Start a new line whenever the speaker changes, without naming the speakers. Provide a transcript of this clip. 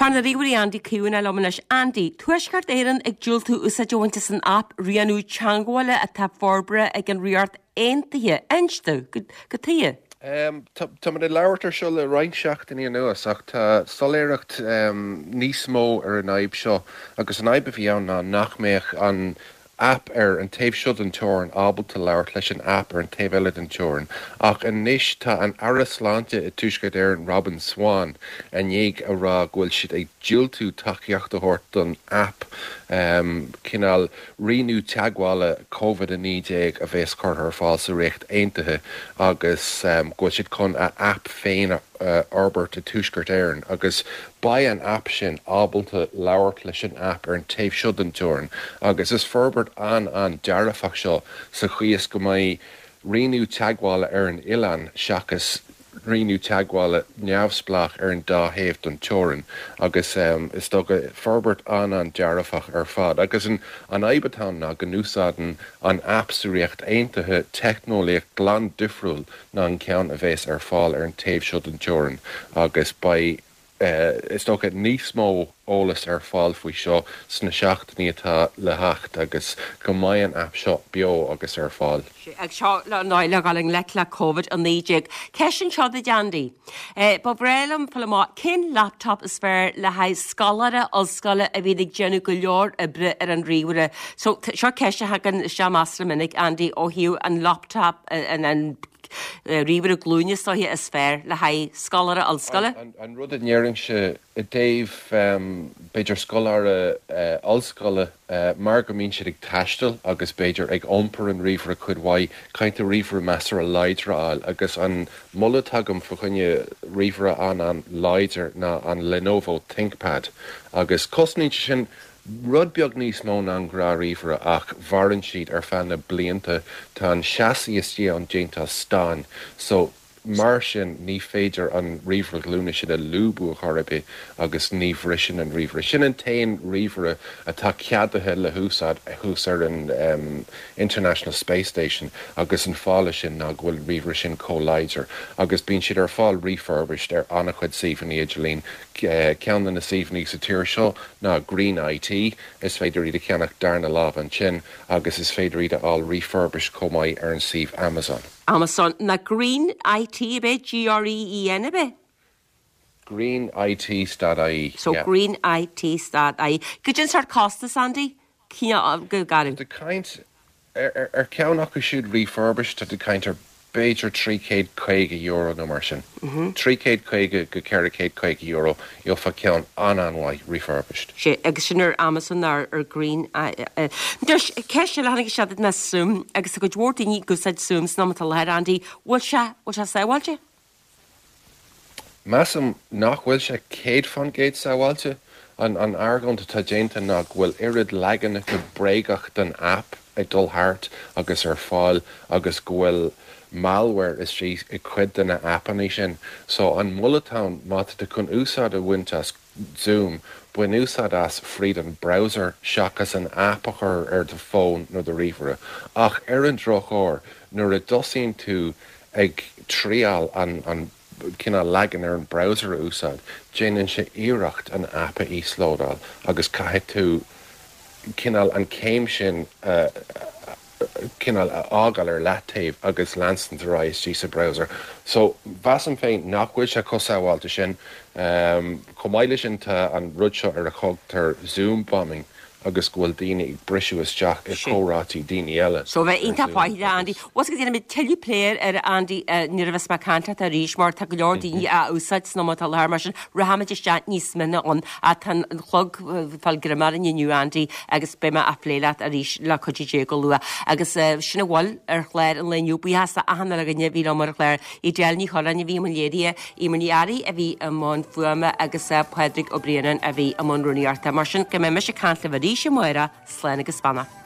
Fear na ríomhairí Andy Caomhánach liom anois. Andy, Tuaisceart Éireann ag diúltú úsáid a bhaint as an aip rianú teagmhála atá forbartha ag an Ríocht Aontaithe. Inis domh, cad chuige?
Táimid ag labhairt ar seo le roinnt seachtainí anuas ach tá soiléireacht níos mó ar an fhadhb seo agus an fhadhb a bhí ann ná nach mbeadh an aip ar an taobh seo den teorainn ábalta labhairt leis an aip ar an taobh eile den teorainn. Ach anois tá an Aire Sláinte i dTuaisceart Éireann, Robin Swann, i ndiaidh a rá go bhfuil siad ag diúltú tacaíocht a thabhairt don aip, cineál rianú teagmhála Covid-19 a bheas curtha ar fáil sa Ríocht Aontaithe agus go bhfuil siad chun a aip féin a fhorbairt i dTuaisceart Éireann agus beidh an aip sin ábalta labhairt leis an aip ar an taobh seo den teorainn agus is forbairt an-an-dearfach seo sa chaoi is go mbeidh rianú teagmhála ar an oileán seachas rianú teagmhála neamhspleách ar an dá thaobh den teorainn agus is dócha forbairt an-an-dearfach ar fad agus an fhadhb atá ann ná go n-úsáideann an aip sa Ríocht Aontaithe teicneolaíocht glan difriúil ná an ceann a bheas ar fáil ar an taobh seo den teorainn agus beidh, is dócha, níos mó eolas ar fáil faoi seo sna seachtainí atá le theacht agus go mbeidh an aip seo beo agus ar fáil.
Ag seo le ndóigh le dhul i ngleic le Covid-19. Ceist anseo duit Andy. Ba bhreá liom fáil amach cén laptop is fearr le haghaidh scoláire ollscoile a bhíonn ag déanamh go leor oibre ar an ríomhaire. So seo ceist a thagann isteach measartha minic Andy ó thaobh an laptop an ríomhaire glúine is dóiche is fearr le haghaidh scoláire ollscoile.
An rud a ndéarfainnse i dtaobh b'fhéidir scoláire ollscoile mar go mbíonn siad ag taisteal agus b'fhéidir ag iompar an ríomhaire cuid mhaith, caithfidh tú ríomhaire measartha láidir a fháil agus an moladh atá agam fa choinne ríomhaire an-an-láidir ná an Lenovo ThinkPad agus cosnaíonn sé sin rud beag níos mó ná an gnáth-ríomhaire ach mhaireann siad ar feadh na blianta. Tá an chassis istigh ann déanta as stáin so mar sin ní féidir an ríomhaire glúine sin a lúbadh ar chor ar bith agus ní bhriseann an ríomhaire. Sin an t-aon ríomhaire atá ceadaithe le húsáid thuas ar an International Space Station agus an fáth leis sin ná go bhfuil an ríomhaire sin chomh láidir agus bíonn siad ar fáil refurbished ar an-chuid suíomhanna idirlín. Ceann de na suíomhanna sa tír seo ná Green IT, is féidir iad a cheannach darna lámh ansin agus is féidir iad a fháil refurbished chomh maith ar an suíomh Amazon.
Amazon ná Green IT ab é? G-R-E-E-N ab é?
Green IT stad IE,
So yeah. Green IT stad IE. Goidé an sórt costas, Andy? Cineál, go garbh.
Tá tú ag caint ar cheann acu siúd refurbished, tá tú ag caint ar b'fhéidir €350 nó mar sin. €350-450, gheofá ceann an-an-mhaith refurbished.
Sea, agus sin ar Amazon nó ar Green. Anois, ceist eile a tháinig isteach duit ná Zoom, agus tá cuid mhór daoine ag úsáid Zoom san am atá i láthair, Andy. Bhfuil sé, bhfuil sé sábháilte?
Measaim nach bhfuil sé 100% sábháilte. An argóint atá déanta ná go bhfuil oiread leaganacha bréagach den aip ag dul thart agus ar fáil agus go bhfuil malware istigh i cuid de na aipeanna sin. So an moladh atá ann, má tá tú chun úsáid a bhaint as Zoom, bain úsáid as fríd an browser seachas an aip a chur ar do fón nó do ríomhaire. Ach ar an drochuair, nuair a dtosaíonn tú ag triáil an cineál leagan ar an browser a úsáid, déanann sé iarracht an aip a íoslódáil agus caithfidh tú cineál an céim sin a cineál a fhágáil ar leataobh agus leanstan ar aghaidh istigh sa browser. So, mheasaim féin nach bhfuil sé chomh sábháilte sin. Chomh maith leis sin tá an rud seo ar a thugtar Zoom bombing agus go bhfuil daoine ag briseadh isteach i comhráití daoine eile
So bheith iontach faichilleach Andy. Bhfuil a fhios agat déanfaidh muid tuilleadh plé air Andy nuair a bheas mé ag caint leat arís mar tá go leor daoine á úsáid san am atá i láthair mar sin rachaimid isteach níos mine ann. Ach tá an clog ag fáil greim orainn inniu Andy agus beidh mé á phlé leat arís le cuidiú Dé go luath. Agus sin a bhfuil ar chlár an lae inniu. Buíochas le achan uile dhuine a bhí liom ar an chlár. Edel Ní Churráin a bhí i mbun léirithe, Eimear Ní Fhearraigh a bhí i mbun fuaime agus Pádraig Ó Braonáin a bhí i mbun rúnaíochta. Mar sin, go mbeidh mise ag caint libh arís amárach, slán agus beannacht.